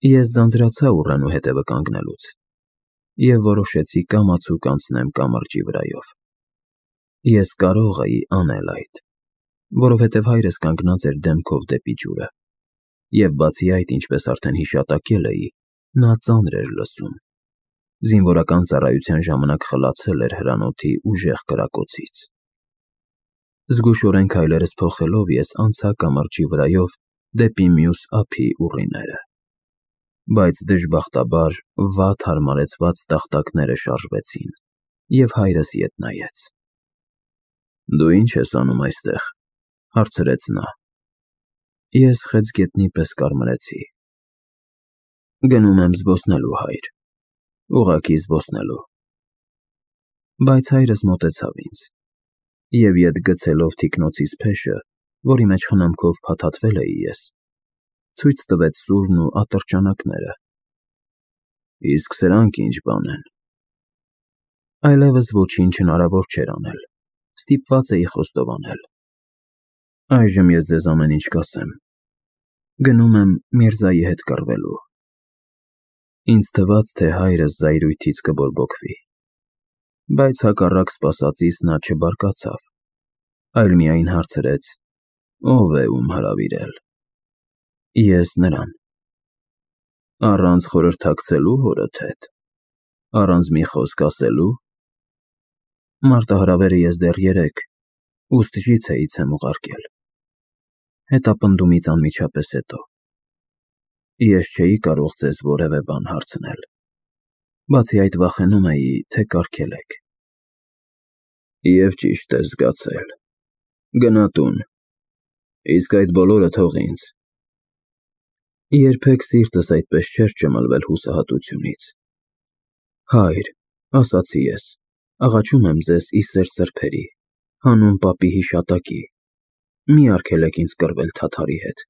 Ես ձանձրացա ուռենու հետևը կանգնելուց և որոշեցի կամացուկ անցնեմ կամրջի վրայով։ Ես կարող էի անել այդ, որովհետև հայրս կանգնած էր դեմքով դեպի ջուրը, և բացի այդ, ինչպես արդեն հիշատակել էի, նա ծանր էր լսում, զինվորական ծառայության ժամանակ խլացել էր հրանոթի ուժեղ կրակոցից։ Զգուշորեն քայլերս փոխելով ես անցա կամրջի վրայով դեպի մյուս ափի ուռիները, բայց դժբախտաբար վատ հարմարեցված տախտակները շարժվեցին, և հայրս ետ նայեց։ «Դու ի՞նչ ես անում այստեղ», հարցրեց նա։ Ես խեցգետնի պես կարմրեցի։ «Գնում եմ զբոսնելու, հայր, ուղղակի զբոսնելու»։ Բայց հայրս մոտեցավ ինձ և ետ գցելով թիկնոցիս փեշը, որի մեջ խնամքով փաթաթվել էի ես, ցույց տվեց սուրն ու ատրճանակները։ «Իսկ սրանք ի՞նչ բան են»։ Այլևս ոչինչ հնարավոր չէր անել, ստիպված էի խոստովանել։ «Այժմ ես ձեզ ամեն ինչ կասեմ։ Գնում եմ Միրզայի հետ կռվելու»։ Ինձ թվաց, թե հայրս զայրույթից կբորբոքվի, բայց հակառակ սպասածիս նա չբարկացավ, այլ միայն հարցրեց. «Ո՞վ է ում հրավիրել»։ Ես նրան։ «Առանց խորհրդակցելու հորդ հետ, առանց մի խոսք ասելու»։ Մարտահրավերը ես դեռ երեկ Ուստժիցեից եմ ուղարկել, հետապնդումից անմիջապես հետո։ Ես չէի կարող ձեզ որևէ բան հարցնել, բացի այդ վախենում էի, թե կարգելեք։ Եվ ճիշտ ես զգացել։ Գնա տուն, իսկ այդ բոլորը թող ինձ։ Երբեք սիրտս այդպես չէր ճմլվել հուսահատությունից։ Հայր, ասացի ես, աղաչում եմ ձեզ ի սեր սրբերի, հանուն պապի հիշատակի, մի արգելեք ինձ կռվել թաթարի հետ։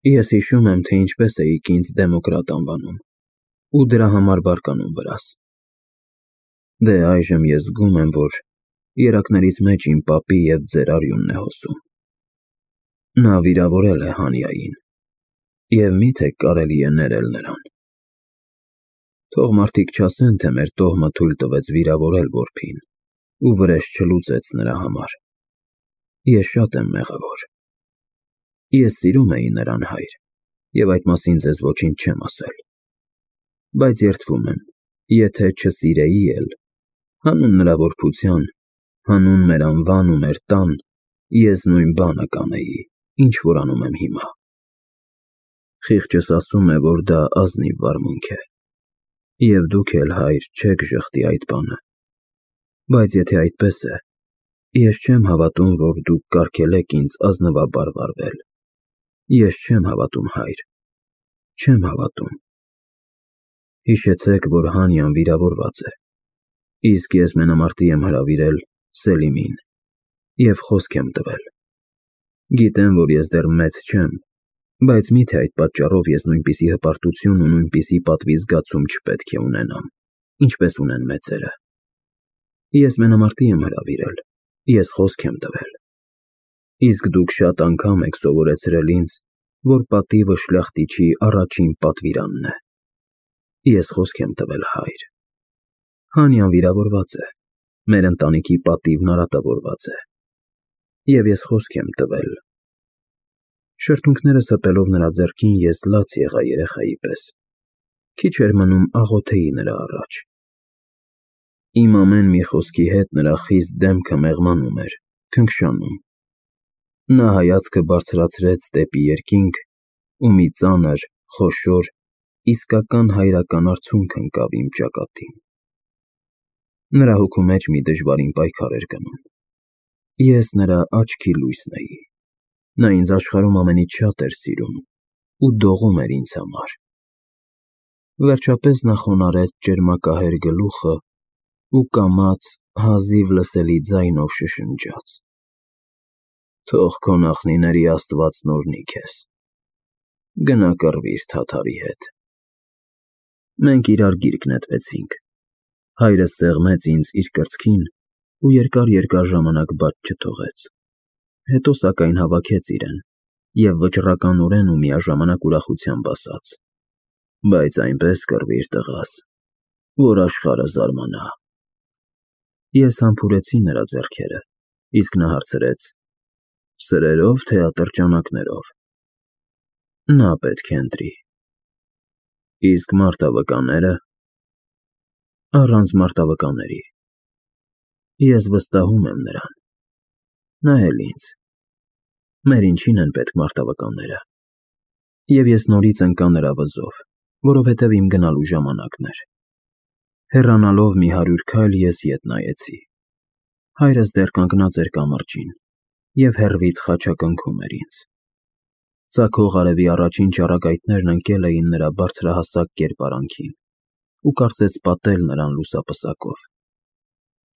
Ես հիշում եմ, թե ինչպես էիք ինձ դեմոկրատ անվանում ու դրա համար բարկանում վրաս։ Դե այժմ ես զգում եմ, որ երակներից մեջ իմ պապի և ձեր արյունն է հոսում։ Նա վիրավորել է Հանիային, և մի՞թե կարելի է ներել նրան։ Թող մարդիկ չասեն, թե մեր տոհմը թույլ տվեց վիրավորել որբին ու վրեժ չլուծեց նրա համար։ Ես շատ եմ մեղավոր։ Ես սիրում էի նրան, հայր, և այդ մասին ձեզ ոչինչ չեմ ասել։ Բայց երդվում եմ, եթե չսիրեի էլ, հանուն նրա որբության, հանուն մեր անվան ու մեր տան, ես նույն բանը կանեի, ինչ որ անում եմ հիմա։ Խիղճս ասում է, որ դա ազնիվ վարմունք է, և դուք էլ, հայր, չեք ժխտի այդ բանը։ Բայց եթե այդպես է, ես չեմ հավատում, որ դուք կարգել եք ինձ ազնվաբար վարվել։ Ես չեմ հավատում, հայր, չեմ հավատում։ Հիշեցեք, որ Հանիան վիրավորված է, իսկ ես մենամարտի եմ հրավիրել Սելիմին և խոսք եմ տվել։ Գիտեմ, որ ես դեռ մեծ չեմ, բայց մի՞թե այդ պատճառով ես նույնպիսի հպարտություն ու նույնպիսի պատվի զգացում չպետք է ունենամ, ինչպես ունեն մեծերը։ Ես մենամարտի եմ հրավիրել, ես խոսք եմ տվել։ Իսկ դուք շատ անգամ եք սովորեցրել ինձ, որ պատիվը շլախտիչի առաջին պատվիրանն է։ Ես խոսք եմ տվել, հայր։ Հանիան վիրավորված է, մեր ընտանիքի պատիվն արատավորված է, և ես խոսք եմ տվել։ Շրթունքներս հպելով նրա ձեռքին, ես լաց եղա երեխայի պես, քիչ էր մնում աղոթեի նրա առաջ։ Իմ ամեն մի խոսքի հետ նրա խիստ դեմքը մեղմանում էր, քնքշանում։ Նա հայացքը բարձրացրեց դեպի երկինք ու մի ծանր, խոշոր, իսկական հայրական արցունք ընկավ իմ ճակատին։ Նրա հոգու մեջ մի դժվարին պայքար էր գնում։ Ես նրա աչքի լույսն էի։ Նա ինձ աշխարհում ամենից շատ էր սիրում ու դողում էր ինձ համար։ Վերջապես նա խոնարհեց ճերմակահեր գլուխը ու կամաց հազիվ լսելի ձայնով շշնջաց. Թող քո նախնիների Աստվածն օրհնի քեզ։ Գնա կռվիր թաթարի հետ։ Մենք իրար գիրկ նետվեցինք։ Հայրս սեղմեց ինձ իր կրծքին ու երկար ժամանակ բաց չթողեց։ Հետո սակայն հավաքեց իրեն և վճռականորեն ու միաժամանակ ուրախությամբ ասաց. Բայց այնպես կռվիր տղաս, որ աշխարհը զարմանա։ Ես համբուրեցի նրա ձեռքերը, իսկ նա հարցրեց. Սրերով թե ատրճանակներով։ Նա պետք է ընտրի։ Իսկ մարտավկաները։ Առանց մարտավկաների։ Ես վստահում եմ նրան։ Նա էլ ինձ։ Մեր ինչին են պետք մարտավկանները։ Եվ ես նորից ընկա նրա վզով, որովհետև իմ գնալու ժամանակն էր։ Հեռանալով մի 100 քայլ ես ետ նայեցի։ Հայրս դեռ կանգնած էր կամրջին և հեռվից խաչակնքում էր ինձ։ Ծագող արևի առաջին ճառագայթներն ընկել էին նրա բարձրահասակ կերպարանքին ու կարծես պատել նրան լուսապսակով։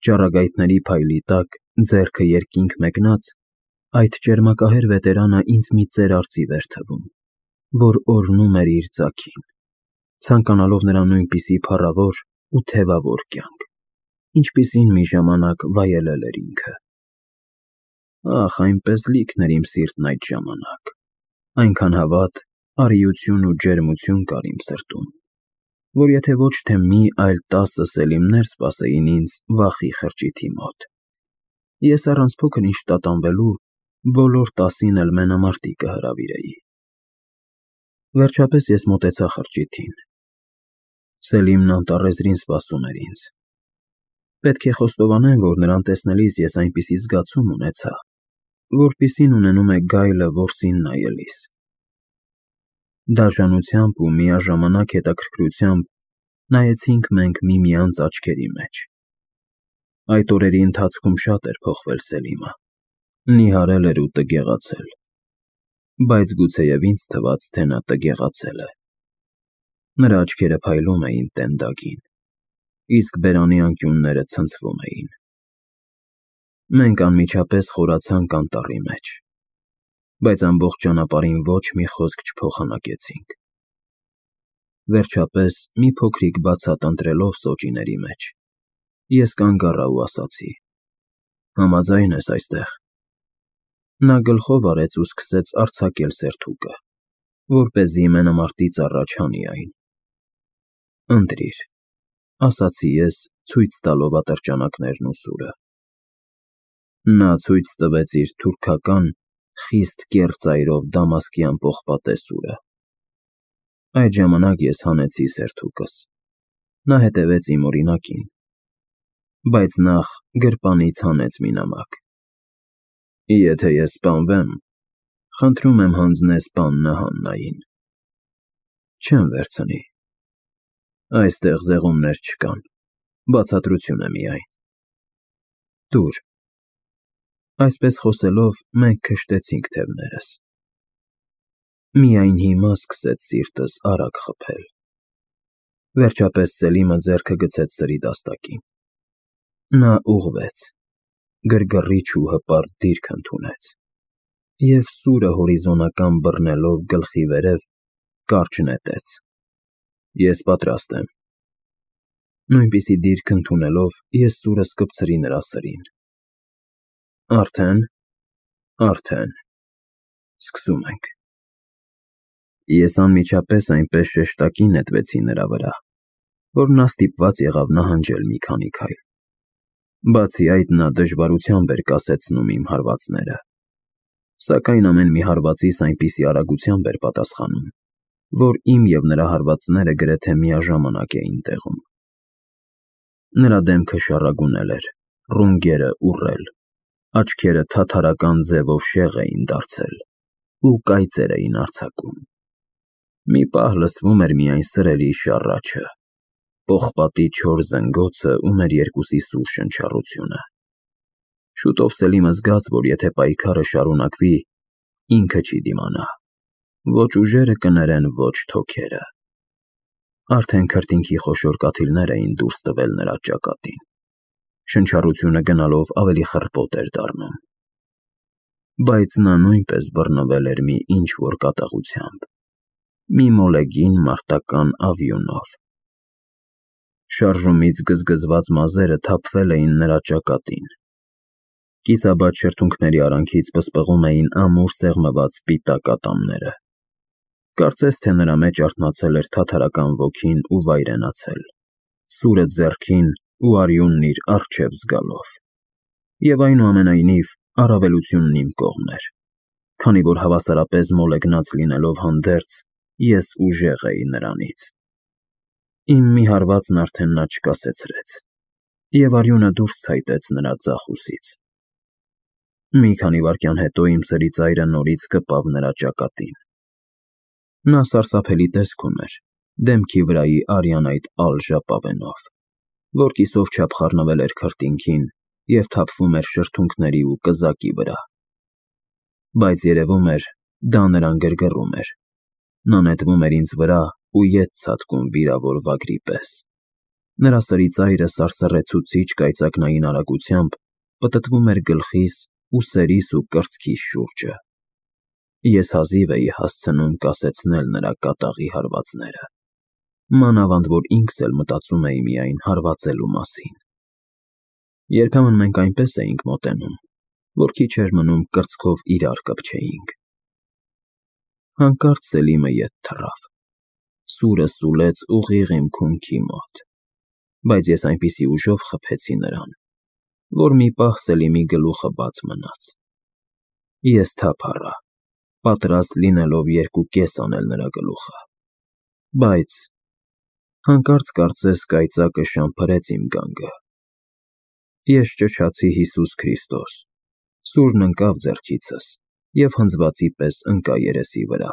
Ճառագայթների փայլի տակ, ձեռքը երկինք մեկնած, այդ ճերմակահեր վետերանը ինձ մի ծեր արծիվ էր թվում, որ օրհնում էր իր ձագին, ցանկանալով նրա նույնպիսի փառավոր ու թևավոր կյանք, ինչպիսին մի ժամանակ վայելել էր ինքը։ Ախ, այնպես լիքն էր իմ սիրտն այդ ժամանակ, այնքան հավատ, արիություն ու ջերմություն կար իմ սրտում, որ եթե ոչ թե մի, այլ 10 սելիմներ սպասեին ինձ վախի խրճիթի մոտ, ես առանց փոքր-ինչ տատանվելու բոլոր 10-ին էլ մենամարտի կհրավիրեի։ Վերջապես ես մոտեցա խրճիթին։ Սելիմն անտառեզրին սպասում էր ինձ։ Պետք է խոստովանեմ, որ նրան տեսնելիս ես այնպիսի զգացում ունեցա, որպիսին ունենում է գայլը որսին նայելիս։ Դաժանությամբ ու միաժամանակ հետաքրքրությամբ նայեցինք մենք միմյանց աչքերի մեջ։ Այդ օրերի ընթացքում շատ էր փոխվել Սելիմը, նիհարել էր ու տգեղացել, բայց գուցեև ինձ թվաց, թե նա տգեղացել է։ Նրա աչքերը փայլում էին տենդագին, իսկ բերանի անկյունները ցնցվում էին։ Մենք անմիջապես խորացանք անտառի մեջ, բայց ամբողջ ճանապարհին ոչ մի խոսք չփոխանակեցինք։ Վերջապես, մի փոքրիկ բացատ ընտրելով սոճիների մեջ, ես կանգ առա ու ասացի. Համաձայն ես այստեղ։ Նա գլխով արեց ու սկսեց արձակել սերթուկը, որպեսզի մենամարտից առաջ հանի այն։ Ընտրիր, ասացի ես, ցույց տալով ատրճանակներն ու սուրը։ Նա ցույց տվեց իր թուրքական, խիստ կեռ ծայրով դամասկյան պողպատե սուրը։ Այդ ժամանակ ես հանեցի սերթուկս։ Նա հետևեց իմ օրինակին, բայց նախ գրպանից հանեց մի նամակ։ Եթե ես սպանվեմ, խնդրում եմ հանձնես պաննը Հաննային։ Չեմ վերցնի։ Այստեղ զեղումներ չկան, բացատրություն է միայն։ Տուր։ Այսպես խոսելով, մենք քշտեցինք թևներս։ Միայն հիմա սկսեց սիրտս արագ խփել։ Վերջապես Սելիմը ձեռքը գցեց սրի դաստակին։ Նա ուղղվեց, գրգռիչ ու հպարտ դիրք ընդունեց և սուրը հորիզոնական բռնելով գլխի վերև կարճ նետեց։ Ես պատրաստ եմ։ Նույնպիսի դիրք ընդունելով, ես սուրը սկպցրի նրա սրին։ Արդեն, սկսում ենք։ Ես անմիջապես այնպես շեշտակի նետվեցի նրա վրա, որ նա ստիպված եղավ նահանջել մի քանի քայլ։ Բացի այդ, նա դժվարությամբ էր կասեցնում իմ հարվածները, սակայն ամեն մի հարվածիս այնպիսի արագությամբ էր պատասխանում, որ իմ և նրա հարվածները գրեթե միաժամանակ էին տեղում։ Նրա դեմքը շառագունել էր, ռունգերը ուռել, աչքերը թաթարական ձևով շեղ էին դարձել ու կայծեր էին արձակում։ Մի պահ լսվում էր միայն սրերի շառաչը, պողպատի չոր զնգոցը ու մեր երկուսի սուր շնչառությունը։ Շուտով Սելիմը զգաց, որ եթե պայքարը շարունակվի, ինքը չի դիմանա, ոչ ուժերը կներեն, ոչ թոքերը։ Արդեն քրտինքի խոշոր կաթիլներ էին դուրս տվել նրա ճակատին։ Շնչառությունը գնալով ավելի խռպոտ էր դառնում։ Բայց նա նույնպես բռնվել էր մի ինչ-որ կատաղությամբ, մի մոլեգին մարտական ավյունով։ Շարժումից գզգզված մազերը թափվել էին նրա ճակատին։ Կիսաբաց շրթունքների արանքից պսպղում էին ամուր սեղմված սպիտակ ատամները։ Կարծես թե նրա մեջ արթնացել էր թաթարական ոգին ու վայրենացել, սուրը ձեռքին ու արյունն իր առջև զգալով։ Եվ այնուամենայնիվ առավելությունն իմ կողմն էր, քանի որ հավասարապես մոլեգնած լինելով հանդերձ, ես ուժեղ էի նրանից։ Իմ մի հարվածն արդեն նա չկասեցրեց, և արյունը դուրս ցայտեց նրա ձախ ուսից։ Մի քանի վայրկյան հետո իմ սրի ծայրը նորից կպավ նրա ճակատին։ Նա սարսափելի տեսք ուներ, դեմքի վրայի արյան այդ ալ ժապավենով, որ կիսով չափ խառնվել էր քրտինքին և թափվում էր շրթունքների ու կզակի վրա։ Բայց երևում էր, դա նրան գրգռում էր։ Նա նետվում էր ինձ վրա ու ետ ցատկում վիրավոր վագրի պես։ Նրա սրի ծայրը սարսռեցուցիչ կայծակնային արագությամբ պտտվում էր գլխիս, ուսերիս ու կրծքիս շուրջը։ Ես հազիվ էի հասցնում կասեցնել նրա կատաղի հարվածները, մանավանդ որ ինքս էլ մտածում էի միայն հարվածելու մասին։ Երբեմն մենք այնպես էինք մոտենում, որ քիչ էր մնում կրծքով իրար կպչեինք։ Հանկարծ Սելիմը ետ թռավ, սուրը սուլեց ուղիղ իմ քունքի մոտ, բայց ես այնպիսի ուժով խփեցի նրան, որ մի պահ Սելիմի գլուխը բաց մնաց։ Ես թափ առա, պատրաստ լինելով երկուկես անել նրա գլուխը, բայց… Հանկարծ կարծես կայծակը շամփրեց իմ գանգը։ Ես ճչացի Հիսուս Քրիստոս, սուրն ընկավ ձեռքիցս և հնձվածի պես ընկա երեսի վրա։